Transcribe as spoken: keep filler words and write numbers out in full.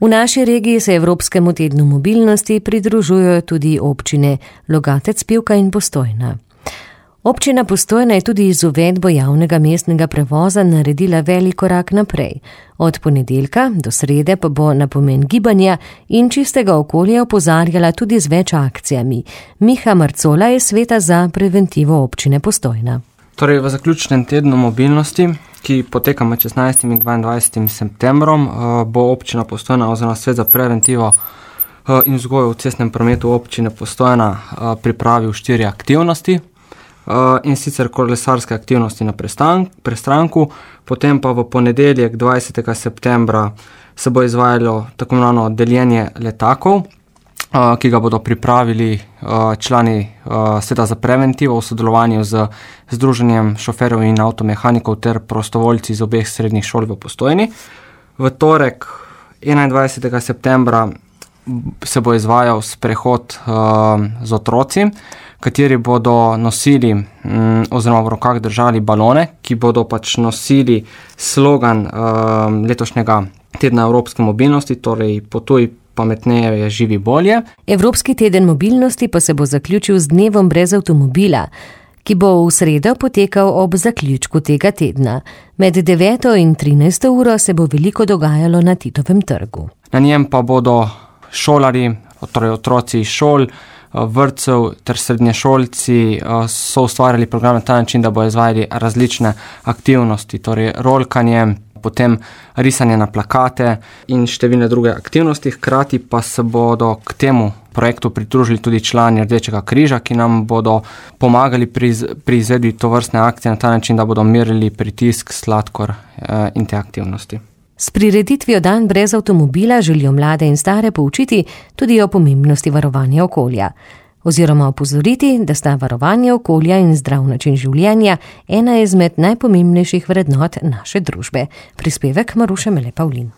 V naši regiji se Evropskemu tednu mobilnosti pridružujejo tudi občine Logatec, Pivka in Postojna. Občina Postojna je tudi z uvedbo javnega mestnega prevoza naredila velik korak naprej. Od ponedeljka do srede pa bo na pomen gibanja in čistega okolja opozarjala tudi z več akcijami. Miha Marcola je sveta za preventivo občine Postojna. Torej, v zaključnem tednu mobilnosti, ki poteka med šestnajstim in dvaindvajsetim septembrom, bo občina Postojna oziroma svet za preventivo in vzgojo v cestnem prometu občine Postojna pripravil štiri aktivnosti. In sicer kolesarske aktivnosti na prestranku, potem pa v ponedeljek dvajsetega septembra se bo izvajalo tako imenovano deljenje letakov, ki ga bodo pripravili člani sveta za preventivo v sodelovanju z Združenjem šoferjev in avtomehanikov ter prostovoljci iz obeh srednjih šol v Postojni. V torek enaindvajsetega septembra se bo izvajal sprehod z otroci, kateri bodo nosili mm, oziroma v rokah držali balone, ki bodo pač nosili slogan um, letošnjega tedna Evropske mobilnosti, torej potuj pametneje, živi bolje. Evropski teden mobilnosti pa se bo zaključil z dnevom brez avtomobila, ki bo v sredo potekal ob zaključku tega tedna. Med deveto in trinajsto uro se bo veliko dogajalo na Titovem trgu. Na njem pa bodo šolari, torej otroci iz šol, vrtcev ter srednješolci so ustvarjali program na ta način, da bo izvajali različne aktivnosti, torej rolkanje, potem risanje na plakate in številne druge aktivnosti. Hkrati pa se bodo k temu projektu pridružili tudi člani Rdečega križa, ki nam bodo pomagali pri, pri izvedbi tovrstne akcije na ta način, da bodo merili pritisk, sladkor eh, in te aktivnosti. S prireditvijo Dan brez avtomobila želijo mlade in stare poučiti tudi o pomembnosti varovanja okolja, oziroma opozoriti, da sta varovanje okolja in zdrav način življenja ena izmed najpomembnejših vrednot naše družbe. Prispevek Maruše Mele Pavlin.